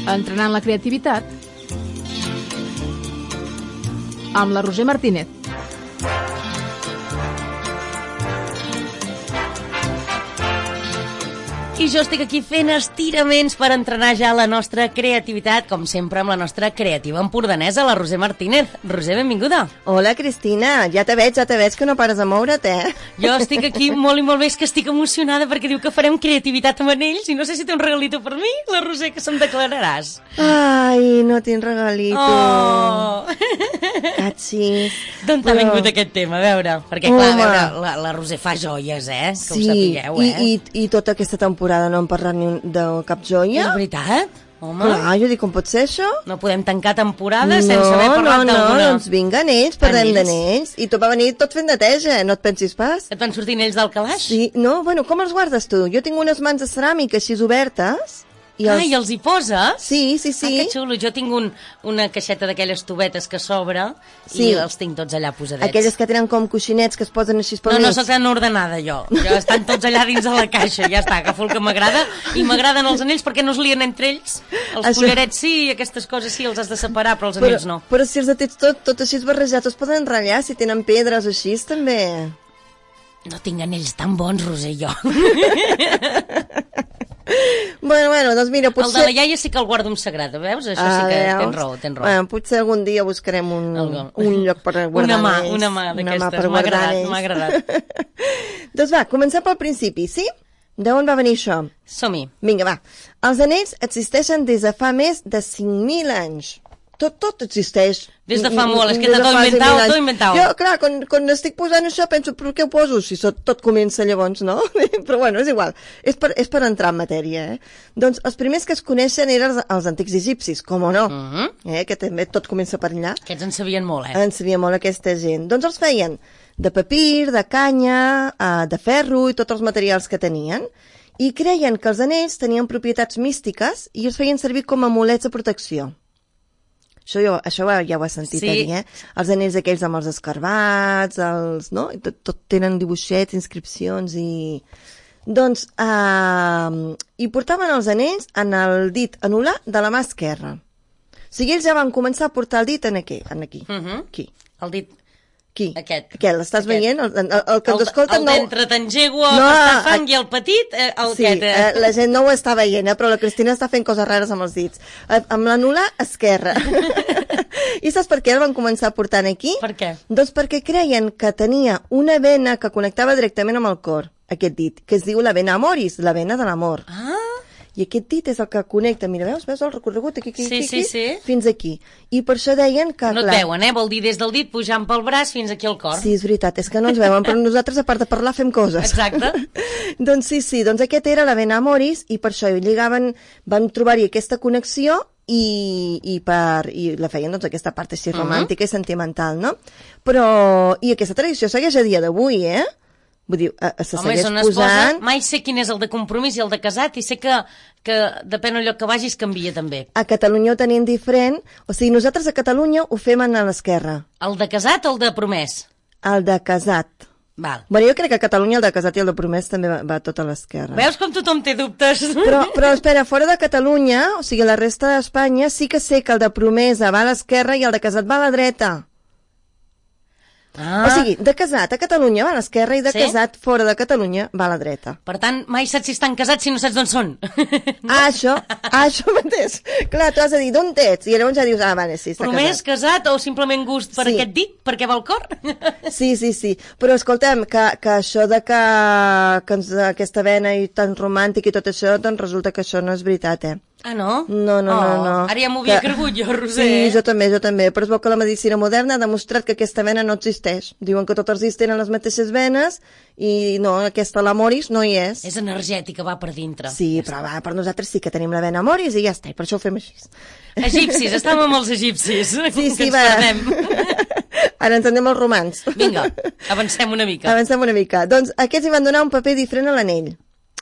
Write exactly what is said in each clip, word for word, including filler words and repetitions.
Entrenant la creativitat amb la Roser Martínez. I jo estic aquí fent estiraments per entrenar ja la nostra creativitat, com sempre amb la nostra creativa empordanesa, la Roser Martínez. Roser, benvinguda. Hola, Cristina. Ja te veig, ja te veig que no pares de moure't, eh? Jo estic aquí molt i molt bé, és que estic emocionada perquè diu que farem creativitat amb anells i no sé si té un regalito per mi, la Roser, que se'm declararàs. Ai, no tinc regalito. Oh! Catxis. D'on t'ha vingut aquest tema, a veure? Perquè, clar, a veure, la, la Roser fa joies, eh? Que sí, ho sapigueu, eh? I, i, i tota aquesta temporada no hem parlat ni un, de cap joia. És veritat? Home. Clar, jo dic, com pot ser això? No podem tancar temporada no, sense haver parlat no, d'alguna. No, doncs vinga, anells, parlem d'anells. I tot va venir tot fent neteja, no et pensis pas. Et van sortir anells del calaix? Sí, no, bueno, com els guardes tu? Jo tinc unes mans de ceràmica així obertes. I els... Ah, i els hi poses? Sí, sí, sí. Ah, que xulo. Jo tinc un, una caixeta d'aquelles tubetes que s'obre sí. I els tinc tots allà posadets. Aquelles que tenen com coixinets que es posen així pel No, mig. no, soc tan ordenada jo. Jo estan tots allà dins de la caixa, ja està, agafo el que m'agrada i m'agraden els anells perquè no es lien entre ells. Els Això... collarets sí, i aquestes coses sí, els has de separar, però els anells però, no. Però si els tens tot, tot així barrejats, es poden ratllar, si tenen pedres així, també. No tinc anells tan bons, Roser, jo. Bueno, bueno, doncs mira, potser... El de la iaia sí que el guardo amb sagrada, veus? Això ah, sí que veus? Tens raó, tens raó. Bueno, potser algun dia buscarem un, un lloc per guardar una mà, anells. Una mà d'aquestes, m'ha agradat, m'ha agradat. Doncs va, comencem pel principi, sí? D'on va venir això? Som-hi. Vinga, va. Els anells existeixen des de fa més de cinc mil anys. Tot, tot existeix. Des de fa molt, és que t'ha tot inventat, tot inventat. Jo, clar, quan, quan estic posant això penso, però què ho poso si tot comença llavors, no? Però bueno, és igual, és per, és per entrar en matèria, eh? Doncs els primers que es coneixen eren els, els antics egipcis, com o no, uh -huh. eh? Que també tot comença per allà. Aquests en sabien molt, eh? En sabien molt aquesta gent. Doncs els feien de papir, de canya, de ferro i tots els materials que tenien, i creien que els anells tenien propietats místiques i els feien servir com a amulets de protecció. Això, jo, això ja ho has sentit sí. a dir, eh? Els anells aquells amb els escarbats, els, no? Tot, tot tenen dibuixets, inscripcions i... Doncs, eh, hi portaven els anells en el dit anular de la mà esquerra. O sigui, ells ja van començar a portar el dit en aquí. En aquí. Uh -huh. aquí. El dit... Aquí. Aquest. Aquest, l'estàs veient? El, el, el que ens escolta el, el no... El d'entre t'engego a no, pastar fang i el petit, eh, el sí, aquest. Eh. Eh, la gent no ho està veient, eh, però la Cristina està fent coses rares amb els dits. Eh, amb l'anular esquerra. I saps per què el van començar a portar aquí? Per què? Doncs perquè creien que tenia una vena que connectava directament amb el cor, aquest dit, que es diu la vena amoris, la vena de l'amor. Ah! I aquest dit és el que connecta, mira, veus, veus el recorregut aquí, aquí, sí, aquí, sí, sí. fins aquí. I per això deien que... No clar, et veuen, eh? Vol dir des del dit pujant pel braç fins aquí al cor. Sí, és veritat, és que no ens veuen, però nosaltres, a part de parlar, fem coses. Exacte. Doncs sí, sí, doncs aquest era la vena amoris i per això lligaven, van trobar-hi aquesta connexió i, i, per, i la feien doncs aquesta part així romàntica uh -huh. i sentimental, no? Però, i aquesta tradició segueix a dia d'avui, eh? Vull dir, se Home, segueix posant... Posa, mai sé quin és el de compromís i el de casat i sé que, que depèn del lloc que vagis canvia també. A Catalunya ho tenim diferent, o sigui, nosaltres a Catalunya ho fem a l'esquerra. El de casat o el de promès? El de casat. Val. Bueno, jo crec que a Catalunya el de casat i el de promès també va, va tot a l'esquerra. Veus com tothom té dubtes? Però, però espera, fora de Catalunya, o sigui, la resta d'Espanya, sí que sé que el de promesa va a l'esquerra i el de casat va a la dreta. Ah. O sigui, de casat a Catalunya va a l'esquerra i de sí? casat fora de Catalunya va a la dreta. Per tant, mai saps si estan casats si no saps d'on són. No? Ah, això, ah, això mateix. Clar, tu has de dir d'on ets i llavors ja dius, ah, vale, sí, està Promès, casat. casat o simplement gust per sí. aquest dit, perquè va al cor? Sí, sí, sí. Però escolta'm, que, que això de que, que ens, aquesta vena i tan romàntic i tot això, doncs resulta que això no és veritat, eh? Ah, no? No, no, oh, no, no. Ara ja m'ho havia que... cregut jo, Roser. Sí, jo també, jo també. Però es veu que la medicina moderna ha demostrat que aquesta vena no existeix. Diuen que tots els dits tenen les mateixes venes i no, aquesta, l'amoris, no hi és. És energètica, va per dintre. Sí, però va, per nosaltres sí que tenim la vena amoris i ja està, i per això ho fem així. Egipcis, estàvem amb els egipcis. Sí, sí, que va. Ens Ara ens anem als romans. Vinga, avancem una mica. Avancem una mica. Doncs aquests hi van donar un paper diferent a l'anell.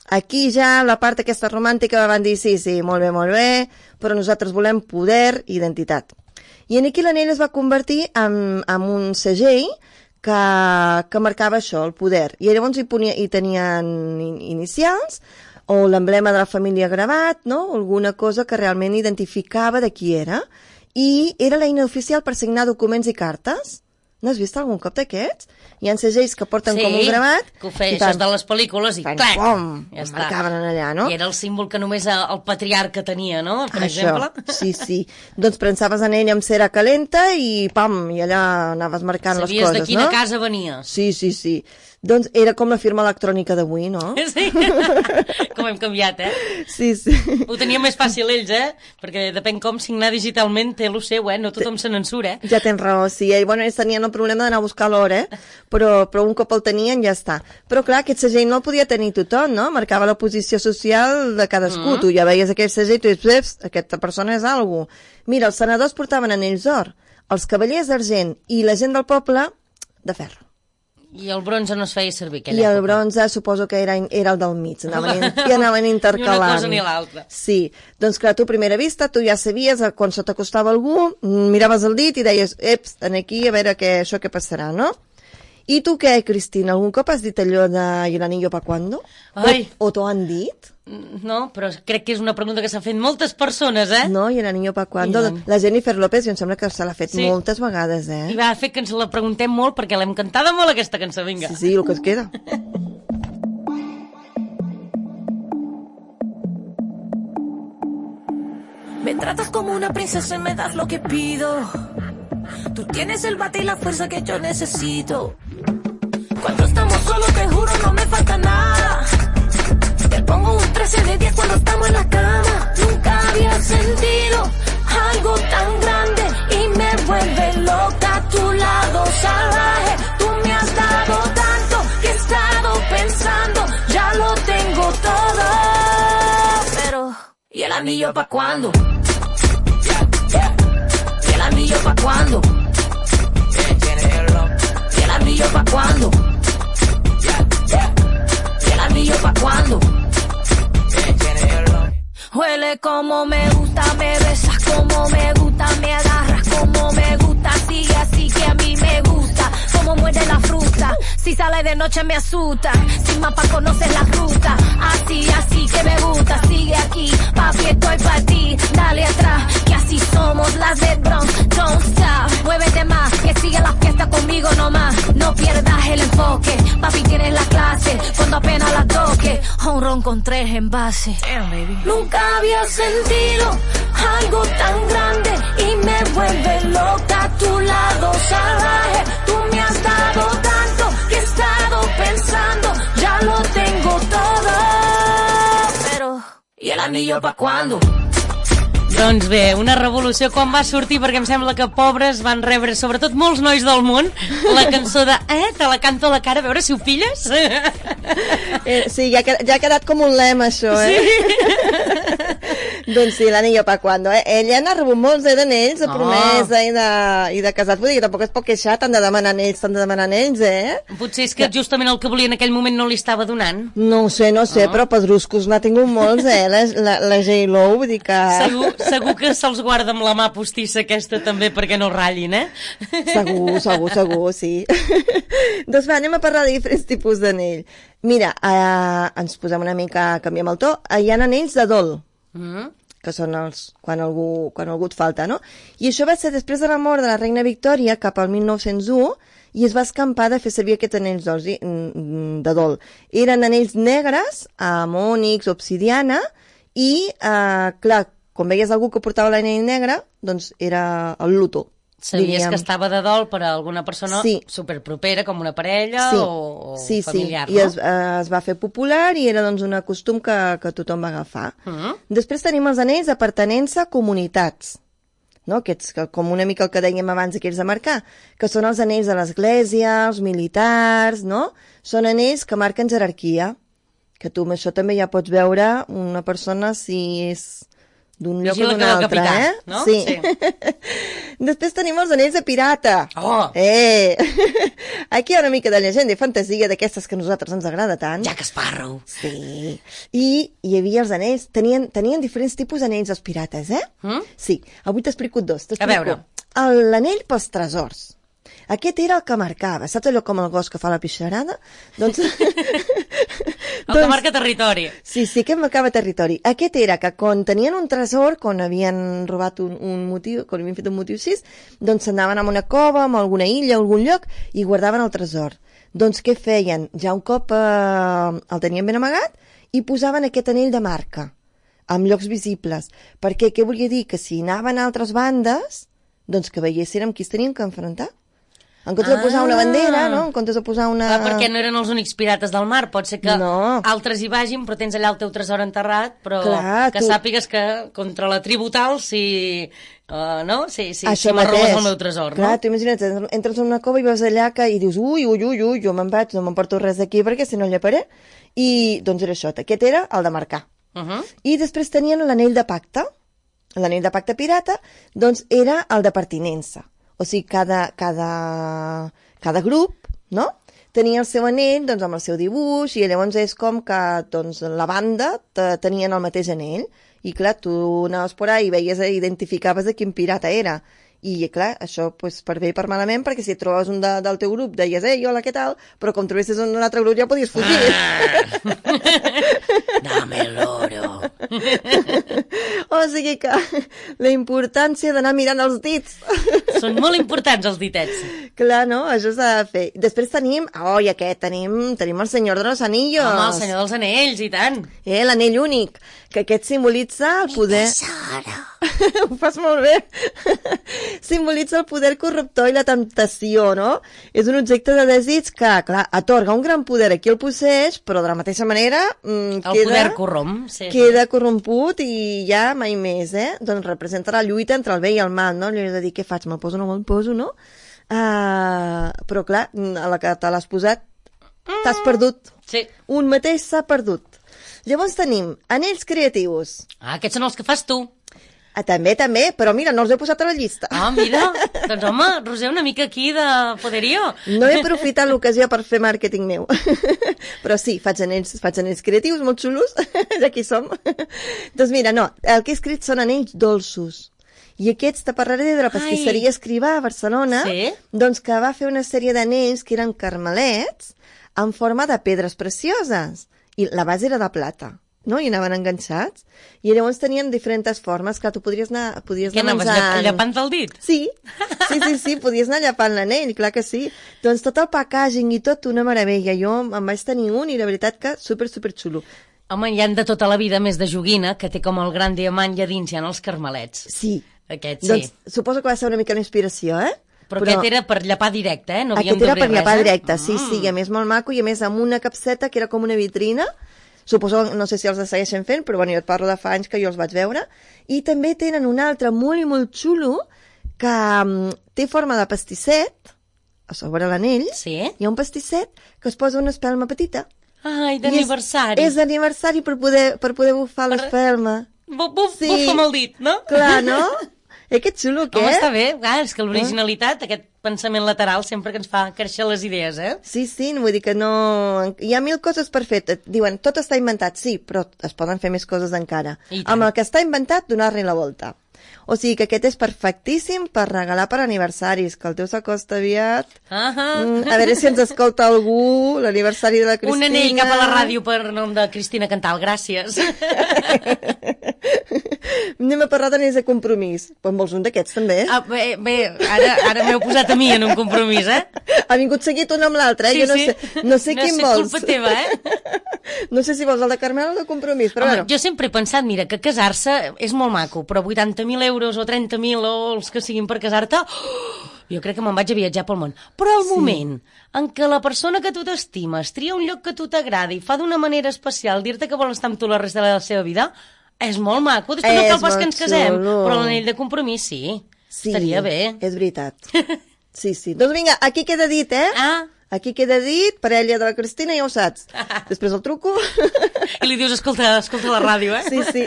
Aquí ja la part aquesta romàntica van dir sí, sí, molt bé, molt bé, però nosaltres volem poder i identitat. I aquí l'anell es va convertir en, en un segell que, que marcava això, el poder. I llavors hi, ponia, hi tenien inicials, o l'emblema de la família gravat, no? Alguna cosa que realment identificava de qui era. I era l'eina oficial per signar documents i cartes. No has vist algun cop d'aquests? Hi ha segells que porten sí, com un gravat. Que ho feia, això és de les pel·lícules i fan, clac, pom, ja està. marcaven allà, no? I era el símbol que només el patriarca tenia, no? Per això, exemple. sí, sí. Doncs prensaves en ell amb cera calenta i pam, i allà anaves marcant Sabies les coses, no? de quina casa venies. Sí, sí, sí. Doncs era com la firma electrònica d'avui, no? Sí, com hem canviat, eh? Sí, sí. Ho tenia més fàcil ells, eh? Perquè depèn com signar digitalment té lo seu, eh? No tothom se n'ensura, eh? Ja tens raó, sí. I, bueno, ells tenien el problema d'anar a buscar l'hora, eh? Però, però un cop el tenien ja està. Però clar, aquest segell no el podia tenir tothom, no? Marcava la posició social de cadascú. Mm. Tu ja veies aquell segell i tu dius, aquesta persona és algú. Mira, els senadors portaven anells d'or, els cavallers d'argent i la gent del poble de ferro. I el bronze no es feia servir aquella I el època. bronze suposo que era, era el del mig, anaven, i anaven intercalant. Ni una cosa ni l'altra. Sí, doncs clar, tu a primera vista, tu ja sabies, quan se t'acostava algú, miraves el dit i deies, eps, aquí a veure què, això què passarà, no? I tu què, Cristina, algun cop has dit allò de ¿y el anillo pa cuándo? Ai. O, o t'ho han dit? No, però crec que és una pregunta que s'ha fet moltes persones, eh? No, ¿y el anillo pa cuándo? I no. La Jennifer López, jo em sembla que se l'ha fet Sí. moltes vegades, eh? I va fer que ens la preguntem molt perquè l'hem cantada molt aquesta cançó, vinga. Sí, sí, el que es queda. Me tratas como una princesa y me das lo que pido. Tú tienes el bate y la fuerza que yo necesito. Cuando estamos solos te juro no me falta nada. Te pongo un trece de diez cuando estamos en la cama. Nunca había sentido algo tan grande y me vuelve loca a tu lado salvaje. Tú me has dado tanto que he estado pensando, ya lo tengo todo. Pero, ¿y el anillo pa' cuándo? ¿Y el anillo pa' cuándo? ¿Y el anillo pa' cuándo? ¿Y el anillo pa' cuándo? Huele como me gusta, me besas como me gusta, me agarras como me gusta, sigue así que a mí me gusta, como muerde la fruta, si sale de noche me asusta, sin mapa conoces la ruta, así, así que me gusta, sigue aquí, papi estoy pa' ti, dale atrás, que así somos las de Bronx, don't stop, muévete más, que sigue la fiesta conmigo nomás, no pierdas el enfoque, papi tienes la clase, cuando apenas la toque, un ron con tres envases. Damn, baby. Nunca había sentido algo tan grande y me vuelve loca a tu lado salvaje. Tú me has dado tanto que he estado pensando, ya lo tengo todo. Pero, ¿y el anillo pa' cuándo? Doncs bé, una revolució quan va sortir, perquè em sembla que pobres van rebre, sobretot molts nois del món, la cançó de eh, te la canto a la cara, a veure si ho pilles. Eh, sí, ja, ja ha quedat com un lema, això, eh? Sí. Doncs sí, l'anillo pa' cuando, eh? Ella n'ha rebut molts eh, d'anells, de Oh. promesa i de, i de casat. Vull dir que tampoc es pot queixar, tant de demanar anells, tant de demanar anells, eh? Potser és que justament el que volia en aquell moment no li estava donant. No ho sé, no ho sé, Oh. però pedruscos n'ha tingut molts, eh? La, la, la J-Lo, vull dir que... Segur, segur que se'ls guarda amb la mà postissa aquesta també perquè no ratllin, eh? Segur, segur, segur, sí. Doncs va, anem a parlar de diferents tipus d'anell. Mira, eh, ens posem una mica, canviem el to. Eh, hi ha anells de dol, Mm. que són els, quan algú, quan algú et falta, no? I això va ser després de la mort de la reina Victòria, cap al mil nou-cents u, i es va escampar de fer servir aquests anells d'or, de dol. Eren anells negres, amb ònix, obsidiana, i, eh, clar, quan veies algú que portava l'anell negre, doncs era el luto. Sabies diríem. que estava de dol per a alguna persona Sí. superpropera, com una parella Sí, o, o sí, familiar, sí. no? I es, eh, es va fer popular i era doncs un costum que, que tothom va agafar. Mm. Després tenim els anells de pertenença a comunitats, no? Aquests, que, com una mica el que dèiem abans, aquells de marcar, que són els anells de l'església, els militars, no? Són anells que marquen jerarquia, que tu amb això també ja pots veure una persona si és d'un lloc o Vigila d'un que del altre, capità, eh? no? Sí. Sí. Després tenim els anells de pirata. Oh! Eh! Aquí hi ha una mica de llegenda i fantasia d'aquestes que a nosaltres ens agrada tant. Jack Sparrow. Sí. I hi havia els anells, tenien, tenien diferents tipus d'anells els pirates, eh? Mm? Sí. Avui t'explico dos. A veure. El- L'anell pels tresors. Aquest era el que marcava. Saps allò com el gos que fa la pixarada? Doncs... el que marca territori. Sí, sí, que marcava territori. Aquest era que quan tenien un tresor, quan havien robat un, un motiu, quan havien fet un motiu així, doncs s'anaven a una cova, a alguna illa, a algun lloc, i guardaven el tresor. Doncs què feien? Ja un cop eh, el tenien ben amagat i posaven aquest anell de marca, amb llocs visibles. Perquè què volia dir? Que si anaven a altres bandes, doncs que veiessin amb qui es tenien que enfrontar. En comptes ah. de posar una bandera, no? En comptes de posar una... Clar, perquè no eren els únics pirates del mar. Pot ser que no. altres hi vagin, però tens allà el teu tresor enterrat, però Clar, que tu... sàpigues que contra la tribu tal, si... Uh, no? Si, si, Això si m'arrobes el meu tresor, Clar, no? tu imagina't, entres en una cova i veus allà que, i dius, ui, ui, ui, ui, jo me'n vaig, no m'emporto res d'aquí perquè si no lleparé. I, doncs era això, aquest era el de marcar. Uh -huh. I després tenien l'anell de pacte. L'anell de pacte pirata, doncs era el de pertinença. O sigui, cada, cada, cada grup, no?, tenia el seu anell, doncs, amb el seu dibuix, i llavors és com que, doncs, la banda tenien el mateix anell. I, clar, tu anaves por ahí i veies, identificaves de quin pirata era. I, clar, això, pues, per bé i per malament, perquè si et trobaves un de, del teu grup, deies, ei, hola, què tal? Però com trobessis un altre grup ja podies fugir. Ah. Dame el oro. O sigui que la importància d'anar mirant els dits. Són molt importants els ditets. Clar, no? Això s'ha de fer. Després tenim, oh, i aquest, tenim, tenim el senyor de los anillos. Home, el senyor dels anells, i tant. Eh, l'anell únic, que aquest simbolitza el poder... Ho fas molt bé. Simbolitza el poder corruptor i la temptació, no? És un objecte de desig que, clar, atorga un gran poder a qui el posseix, però de la mateixa manera mm, el queda, poder corromp, sí. queda corromput i ja mai més, eh? Doncs representa la lluita entre el bé i el mal, no? Allò de dir, què faig? Me'l poso o no me'l poso, no? Uh, però, clar, a la que te l'has posat, t'has perdut. Sí. Un mateix s'ha perdut. Llavors tenim anells creatius. Ah, aquests són els que fas tu. Ah, també, també, però mira, no els he posat a la llista. Ah, mira, doncs home, Roser, una mica aquí de poderío. No he aprofitat l'ocasió per fer màrqueting meu. Però sí, faig anells, faig anells creatius molt xulos, ja aquí som. Doncs mira, no, el que he escrit són anells dolços. I aquests te parlaré de la pastisseria Escrivà a Barcelona, sí? Doncs que va fer una sèrie d'anells que eren carmelets en forma de pedres precioses. I la base era de plata, no? I anaven enganxats. I llavors tenien diferents formes, que tu podries anar, podries Què anar anaves, menjant... llepant el dit? Sí, sí, sí, sí, podies anar llepant l'anell, clar que sí. Doncs tot el packaging i tot, una meravella. Jo em vaig tenir un i la veritat que super, super xulo. Home, hi han de tota la vida més de joguina, que té com el gran diamant i a dins hi ha els carmelets. Sí. Aquest sí. Doncs suposo que va ser una mica d'inspiració, eh? Però, Però aquest era per llepar directe, eh? No havíem aquest era per llepar res, eh? directe, sí, mm. sí, i a més molt maco, i a més amb una capseta que era com una vitrina. Suposo, no sé si els segueixen fent, però bueno, jo et parlo de fa anys que jo els vaig veure. I també tenen un altre molt i molt xulo que um, té forma de pastisset, a sobre l'anell, sí? Hi ha un pastisset que es posa una espelma petita. Ai, d'aniversari. És, és d'aniversari per poder, per poder bufar per... l'espelma. Buf, buf, sí. Bufa amb el dit, no? Clar, no? Eh, que xulo, què? Home, està bé. Ah, és que l'originalitat, aquest pensament lateral, sempre que ens fa créixer les idees, eh? Sí, sí, vull dir que no... Hi ha mil coses per fer. Et diuen, tot està inventat, sí, però es poden fer més coses encara. Amb el que està inventat, donar-li la volta. O sigui que aquest és perfectíssim per regalar per aniversaris, que el teu s'acosta aviat. Uh -huh. mm, a veure si ens escolta algú, l'aniversari de la Cristina. Un anell cap a la ràdio per nom de Cristina Cantal, gràcies. Anem a parlar d'anells de compromís. En vols un d'aquests, també? Ah, bé, bé, ara, ara m'heu posat a mi en un compromís, eh? Ha vingut seguit un amb l'altre, eh? Sí, jo no sí. sé, no sé no quin sé vols. culpa teva, eh? No sé si vols el de Carmel o el de compromís, però Home, bueno. jo sempre he pensat, mira, que casar-se és molt maco, però vuitanta mil euros o trenta mil o els que siguin per casar-te, oh, jo crec que me'n vaig a viatjar pel món. Però el sí. moment en què la persona que tu t'estimes tria un lloc que tu t'agradi i fa d'una manera especial dir-te que vol estar amb tu la resta de la seva vida, és molt maco. Després no cal pas que ens casem, xulo. Però l'anell de compromís sí. Sí, estaria bé. És veritat. Sí, sí. Doncs vinga, aquí queda dit, eh? Ah. Aquí queda dit, parella de la Cristina, ja ho saps. Després el truco. I li dius, escolta, escolta la ràdio, eh? Sí, sí.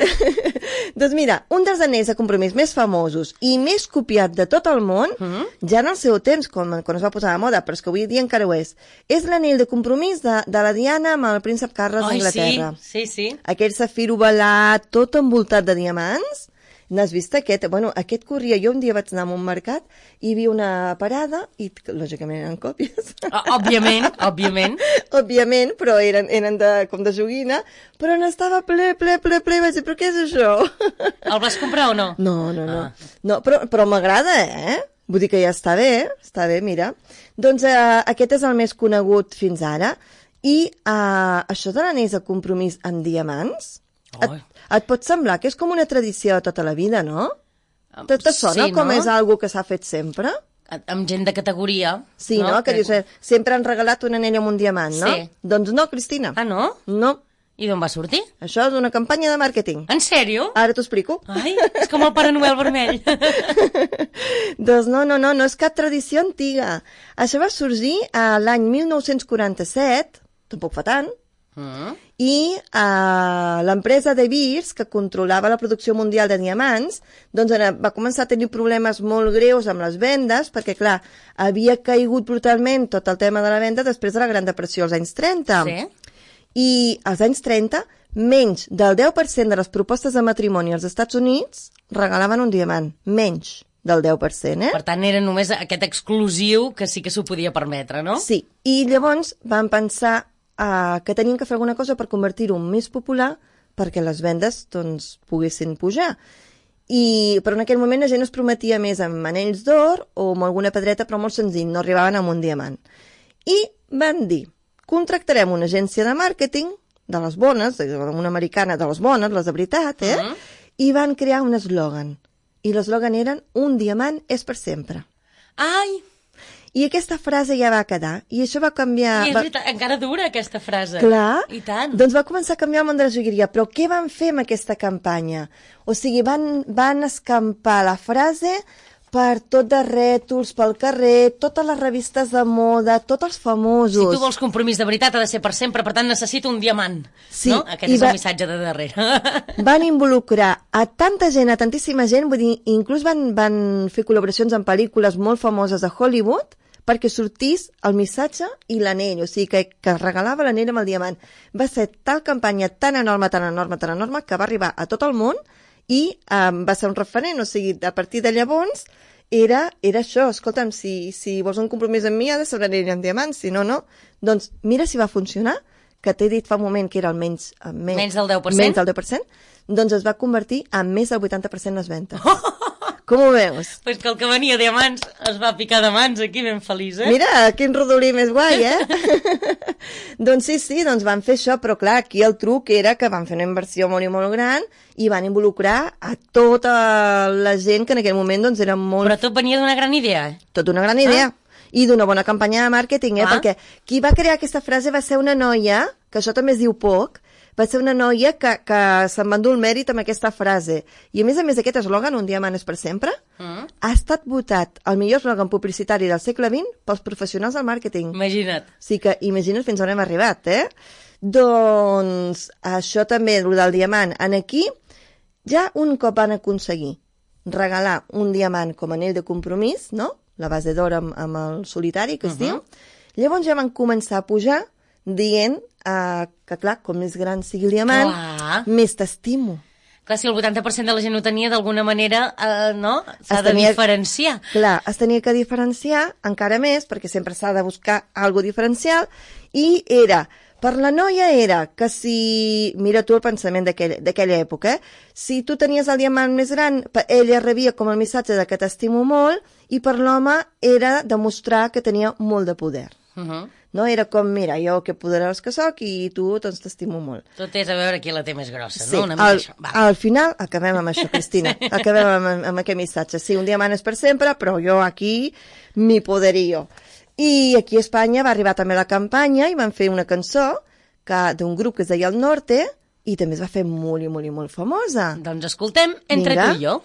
Doncs mira, un dels anells de compromís més famosos i més copiat de tot el món, mm-hmm. ja en el seu temps, quan, quan es va posar de moda, però és que avui dia encara ho és, és l'anell de compromís de, de la Diana amb el príncep Carles d'Anglaterra. Sí, sí, sí. Aquell safir ovalat, tot envoltat de diamants. N'has vist aquest? Bueno, aquest corria. Jo un dia vaig anar a un mercat i hi havia una parada i, lògicament, eren còpies. Òbviament, òbviament. Òbviament, però eren, eren de, com de joguina, però n'estava ple, ple, ple, ple. Vaig dir, però què és això? El vas comprar o no? No, no, no. Ah. no però però m'agrada, eh? Vull dir que ja està bé, està bé, mira. Doncs eh, aquest és el més conegut fins ara. I eh, això de l'anells de compromís amb diamants... Et, et pot semblar que és com una tradició de tota la vida, no? Te, te sona sí, com no? és algo que s'ha fet sempre? Amb gent de categoria. Sí, no? no? Que dius, eh, sempre han regalat un anell amb un diamant, no? Sí. Doncs no, Cristina. Ah, no? No. I d'on va sortir? Això és una campanya de màrqueting. En sèrio? Ara t'ho explico. Ai, és com el Pare Noel vermell. Doncs no, no, no, no és cap tradició antiga. Això va sorgir a l'any mil nou-cents quaranta-set, tampoc fa tant, Mm. i uh, l'empresa De Beers, que controlava la producció mundial de diamants, doncs va començar a tenir problemes molt greus amb les vendes, perquè clar, havia caigut brutalment tot el tema de la venda després de la Gran Depressió als anys trenta. Sí. I als anys trenta, menys del deu per cent de les propostes de matrimoni als Estats Units regalaven un diamant, menys del deu per cent, eh? Per tant, era només aquest exclusiu que sí que s'ho podia permetre, no? Sí, i llavors van pensar Uh, que tenien que fer alguna cosa per convertir-ho en més popular perquè les vendes doncs, poguessin pujar. I, però en aquell moment la gent es prometia més amb anells d'or o amb alguna pedreta, però molt senzill, no arribaven amb un diamant. I van dir, contractarem una agència de màrqueting de les bones, una americana de les bones, les de veritat, eh? Uh-huh. I van crear un eslògan. I l'eslògan eren un diamant és per sempre. Ai! I aquesta frase ja va quedar, i això va canviar... I és va... veritat, encara dura aquesta frase. Clar, i tant. Doncs va començar a canviar el món de la jogueria, però què van fer amb aquesta campanya? O sigui, van, van escampar la frase per tot de rètols, pel carrer, totes les revistes de moda, tots els famosos. Si tu vols compromís de veritat ha de ser per sempre, per tant necessito un diamant. Sí, no? Aquest és va... el missatge de darrere. Van involucrar a tanta gent, a tantíssima gent, vull dir, inclús van, van fer col·laboracions amb pel·lícules molt famoses de Hollywood, perquè sortís el missatge i l'anell, o sigui, que, que regalava l'anell amb el diamant. Va ser tal campanya tan enorme, tan enorme, tan enorme, que va arribar a tot el món i um, va ser un referent, o sigui, a partir de llavors era, era això, escolta'm, si, si vols un compromís amb mi ha de ser un anell amb diamant, si no, no. Doncs mira si va funcionar, que t'he dit fa un moment que era el menys... menys, menys del deu per cent? Menys del deu per cent, doncs es va convertir en més del vuitanta per cent les ventes. Com ho veus? Pues que el que venia de mans es va picar de mans aquí ben feliç, eh? Mira, quin rodolí més guai, eh? Doncs sí, sí, doncs van fer això, però clar, aquí el truc era que van fer una inversió molt i molt gran i van involucrar a tota la gent que en aquell moment doncs era molt... Però tot venia d'una gran idea, eh? Tot una gran idea. Ah. I d'una bona campanya de màrqueting, eh? Ah. Perquè qui va crear aquesta frase va ser una noia, que això també es diu poc, va ser una noia que, que se'n va endur el mèrit amb aquesta frase. I a més a més aquest eslògan, un diamant és per sempre, mm. ha estat votat el millor eslògan publicitari del segle vint pels professionals del màrqueting. Imagina't. O sigui que imagina't fins on hem arribat, eh? Doncs això també, el del diamant. En aquí, ja un cop van aconseguir regalar un diamant com a anell de compromís, no? La base d'or amb, amb el solitari, que es uh-huh. diu. Llavors ja van començar a pujar dient uh, que, clar, com més gran sigui el diamant, clar. Més t'estimo. Clar, si el vuitanta per cent de la gent ho tenia, d'alguna manera, uh, no? S'ha de diferenciar. Clar, es tenia que diferenciar encara més, perquè sempre s'ha de buscar algo diferencial, i era... Per la noia era que si... Mira tu el pensament d'aquella època, eh? Si tu tenies el diamant més gran, ella rebia com el missatge de que t'estimo molt, i per l'home era demostrar que tenia molt de poder. Uh-huh. No? Era com, mira, jo que poderós que soc i tu doncs t'estimo molt. Tot és a veure qui la té més grossa, sí, no? Una mica al, això. Va. Al final acabem amb això, Cristina. Sí. Acabem amb, amb aquest missatge. Sí, un diamant és per sempre, però jo aquí mi poderío. I aquí a Espanya va arribar també la campanya i van fer una cançó d'un grup que es deia El Norte i també es va fer molt i molt i molt famosa. Doncs escoltem Entre Vinga. tu i jo.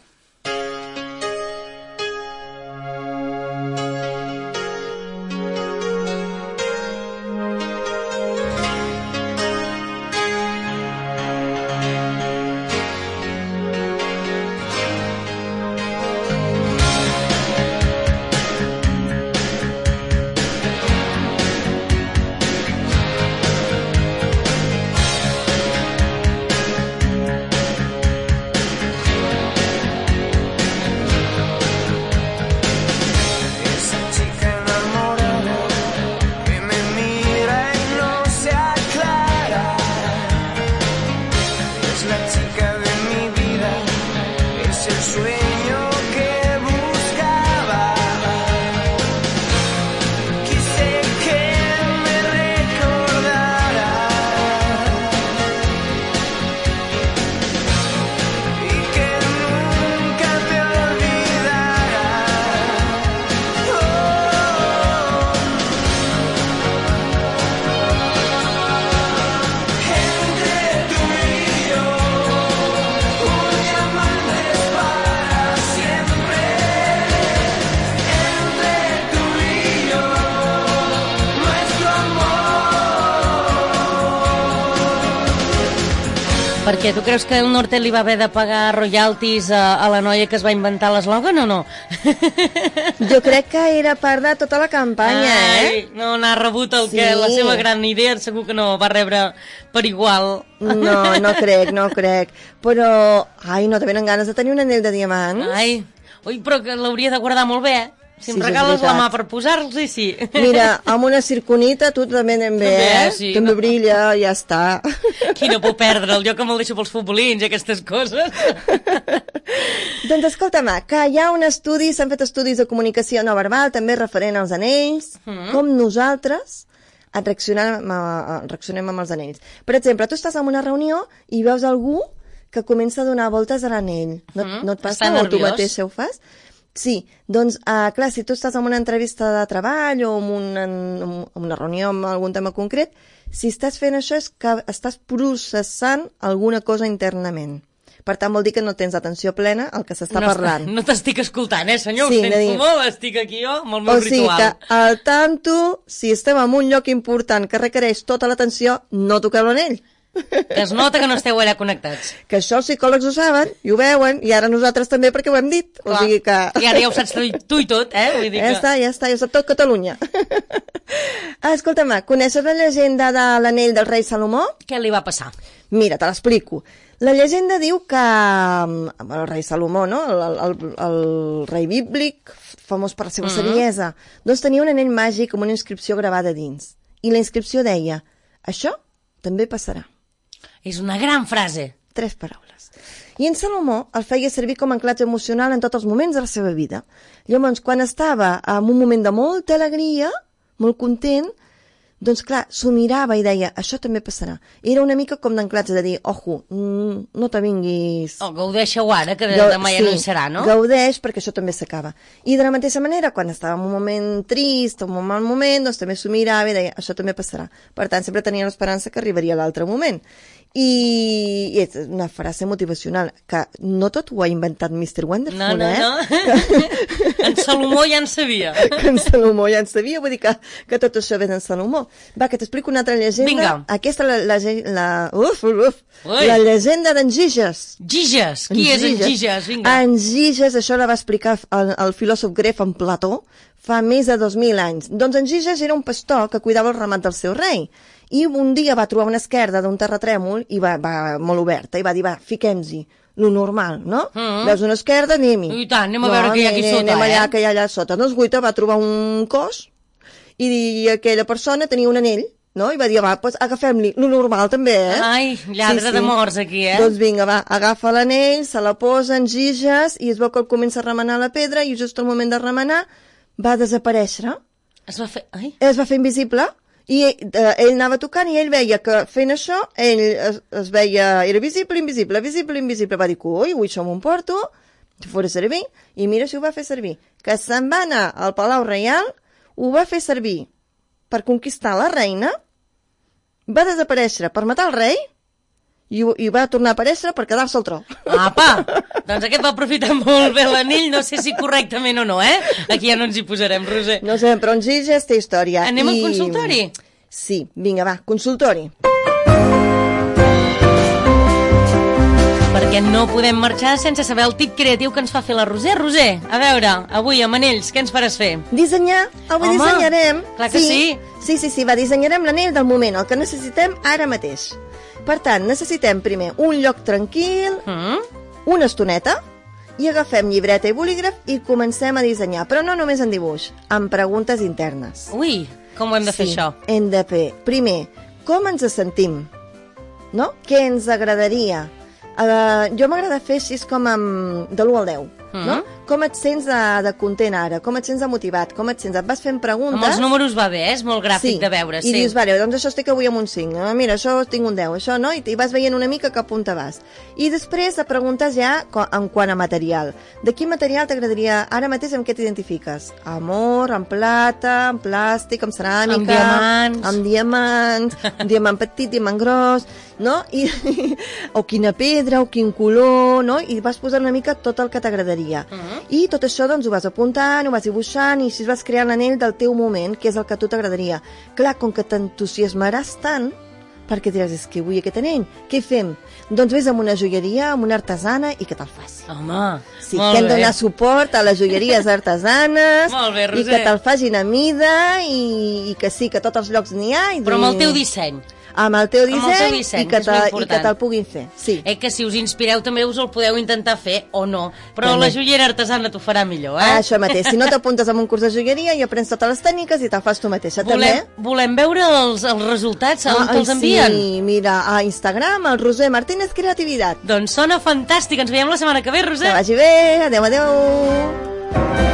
Perquè tu creus que el Nortel li va haver de pagar royalties a, a la noia que es va inventar l'eslògan o no? Jo crec que era part de tota la campanya, Ai, eh? no n'ha rebut el Sí. que la seva gran idea, segur que no va rebre per igual. No, no crec, no crec. Però, ai, no te venen ganes de tenir un anell de diamant? Ai, ui, però que l'hauria de guardar molt bé. Si em Sí, és regales la veritat. mà per posar-los, i sí. Mira, amb una circonita tu també anem bé, També, eh? sí. També brilla, ja està. Qui no puc perdre'l? Jo que me'l deixo pels futbolins i aquestes coses. Doncs escolta, Ma, que hi ha un estudi, s'han fet estudis de comunicació no verbal, també referent als anells, mm. com nosaltres reaccionem, a, reaccionem amb els anells. Per exemple, tu estàs en una reunió i veus algú que comença a donar voltes a l'anell. No, Mm, no et passa està o tu nerviós. mateixa ho fas? Sí, doncs, uh, clar, si tu estàs en una entrevista de treball o en una, en una reunió amb algun tema concret, si estàs fent això és que estàs processant alguna cosa internament. Per tant, vol dir que no tens atenció plena al que s'està no, parlant. No t'estic escoltant, eh, senyor? Sí, Ho de sento dir- molt, estic aquí jo amb el meu O sigui ritual. que, al tanto, si estem en un lloc important que requereix tota l'atenció, no toqueu l'anell. Que es nota que no esteu allà connectats. Que això els psicòlegs ho saben, i ho veuen, i ara nosaltres també perquè ho hem dit. Clar. O sigui que... I ara ja ho saps tu, tu i tot, eh? Vull dir Ja que... està, ja està, ja ho sap tot Catalunya. ah, escolta'm, coneixes la llegenda de l'anell del rei Salomó? Què li va passar? Mira, te l'explico. La llegenda diu que mm, el rei Salomó, no? el, el, el, el rei bíblic, famós per la seva Mm-hmm. saviesa, doncs tenia un anell màgic amb una inscripció gravada dins. I la inscripció deia, això també passarà. És una gran frase. Tres paraules. I en Salomó el feia servir com a anclatge emocional en tots els moments de la seva vida. Llavors, quan estava en un moment de molta alegria, molt content, doncs clar, s'ho mirava i deia, això també passarà. Era una mica com d'anclatge de dir, ojo, mm, no te vinguis... Oh, gaudeixeu ara, que de, Gau- demà ja no hi serà, no? Gaudeix perquè això també s'acaba. I de la mateixa manera, quan estava en un moment trist o en un mal moment, doncs també s'ho mirava i deia, això també passarà. Per tant, sempre tenia l'esperança que arribaria l'altre moment. I, I és una frase motivacional, que no tot ho ha inventat mister Wonderful, No, no, eh? no. En Salomó ja en sabia. Que en Salomó ja en sabia, vull dir que, que tot això ve d'en Salomó. Va, que t'explico una altra llegenda. Vinga. Aquesta, la, la, la, uf, uf, Ui. la llegenda d'en Giges. Giges. Qui és en Giges? Vinga. En Giges, això la va explicar el, el filòsof grec en Plató fa més de dos mil anys. Doncs en Giges era un pastor que cuidava el ramat del seu rei. I un dia va trobar una esquerda d'un terratrèmol i va, va molt oberta i va dir, va, fiquem-hi, lo normal, no? Mm. Veus una esquerda, anem-hi. I tant, anem a veure què hi ha aquí anem, sota, anem allà, eh? que hi ha allà sota. Doncs Guita va trobar un cos i, i aquella persona tenia un anell, no? I va dir, va, doncs agafem-li, lo normal també, eh? Ai, lladre de morts aquí, eh? Doncs vinga, va, agafa l'anell, se la posa en Giges i es veu que el comença a remenar la pedra i just al moment de remenar va desaparèixer. Es va fer... Ai, Es va fer invisible i eh, ell anava tocant i ell veia que fent això, ell es, es veia, era visible, invisible, visible, invisible. Va dir, ui, ui, això m'ho emporto, si fos servir, i mira si ho va fer servir. Que se'n va anar al Palau Reial, ho va fer servir per conquistar la reina, va desaparèixer per matar el rei, i, i va tornar a aparèixer per quedar-se al tro. apa! Doncs aquest va aprofitar molt bé l'anell, no sé si correctament o no, eh? Aquí ja no ens hi posarem, Roser. No sé, però en Giges té història. Anem I... al consultori? Sí, vinga, va, consultori. Perquè no podem marxar sense saber el tip creatiu que ens fa fer la Roser. Roser, a veure, avui amb anells, què ens faràs fer? Dissenyar, avui Home, dissenyarem. clar que sí. Sí, sí, sí, va, dissenyarem l'anell del moment, el que necessitem ara mateix. Per tant, necessitem primer un lloc tranquil, Mm? una estoneta, i agafem llibreta i bolígraf i comencem a dissenyar, però no només en dibuix, amb preguntes internes. Ui, com ho hem de fer, Sí, això? hem de fer, primer, com ens sentim? No? Què ens agradaria? Uh, jo m'agrada fer així com amb, de l'u al deu, Mm. no? Com et sents de, de content ara? Com et sents de motivat? Com et sents? Et vas fent preguntes... Amb els números va bé, eh? És molt gràfic de veure, sí. I dius, vale, doncs això estic avui amb un cinc, ah, mira, això tinc un deu, això no? I, i vas veient una mica cap on te vas. I després te preguntes ja co- en quant a material. De quin material t'agradaria, ara mateix amb què t'identifiques? Amor, amb plata, amb plàstic, amb ceràmica... Amb diamants. Amb diamants, un diamant petit, diamant gros, no? I, o quina pedra, o quin color, no? I vas posant una mica tot el que t'agradaria. Mhm. I tot això doncs ho vas apuntant, ho vas dibuixant i així vas creant l'anell del teu moment, que és el que a tu t'agradaria. Clar, com que t'entusiasmaràs tant, perquè diràs, és que vull aquest anell. Què fem? Doncs vés a una joieria, a una artesana i que te'l faci. Home, Sí, molt que hem de bé. donar suport a les joieries artesanes Molt bé, i Roser. que te'l facin a mida i, i que sí, que a tots els llocs n'hi ha. I Però amb el teu disseny. Amb el teu Amb el disseny, teu disseny, i que que és molt te- i important. que te'l puguin fer. Sí. Eh, que si us inspireu també us el podeu intentar fer o no. Però També. la joiera artesana t'ho farà millor, eh? Ah, això mateix. Si no t'apuntes a un curs de joieria i aprens totes les tècniques i te'l fas tu mateixa, volem, també. volem veure els, els resultats, a on Ah, te'ls ai, envien. Sí, mira, a Instagram, el Roser Martínez Creativitat. Doncs sona fantàstic. Ens veiem la setmana que ve, Que Roser. vagi bé. Adéu, adéu.